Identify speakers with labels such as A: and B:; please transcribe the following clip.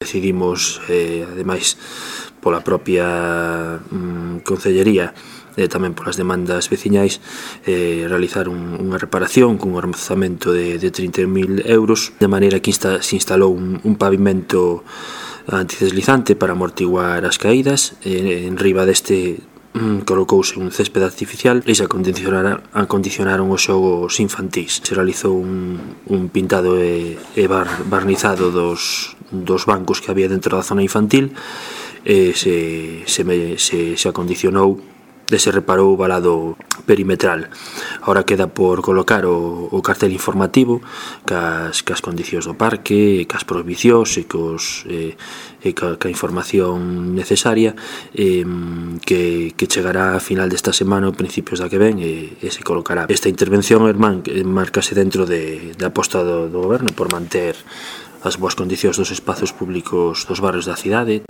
A: Decidimos, ademais, pola propia Concellería e tamén polas demandas veciñais, realizar unha reparación cun orzamento de 30.000 euros, de maneira que se instalou un pavimento antideslizante para amortiguar as caídas. En riba deste colocouse un césped artificial e se acondicionaron os xogos infantís. Se realizou un pintado e barnizado dos bancos que había dentro da zona infantil e se acondicionou e se reparou o valado perimetral. Agora queda por colocar o cartel informativo cas condicións do parque, cas prohibicións e ca información necesaria, que chegará a final desta semana ou principios da que ven e se colocará. Esta intervención marcase dentro da aposta do Goberno por manter as boas condicións dos espazos públicos dos barrios da cidade.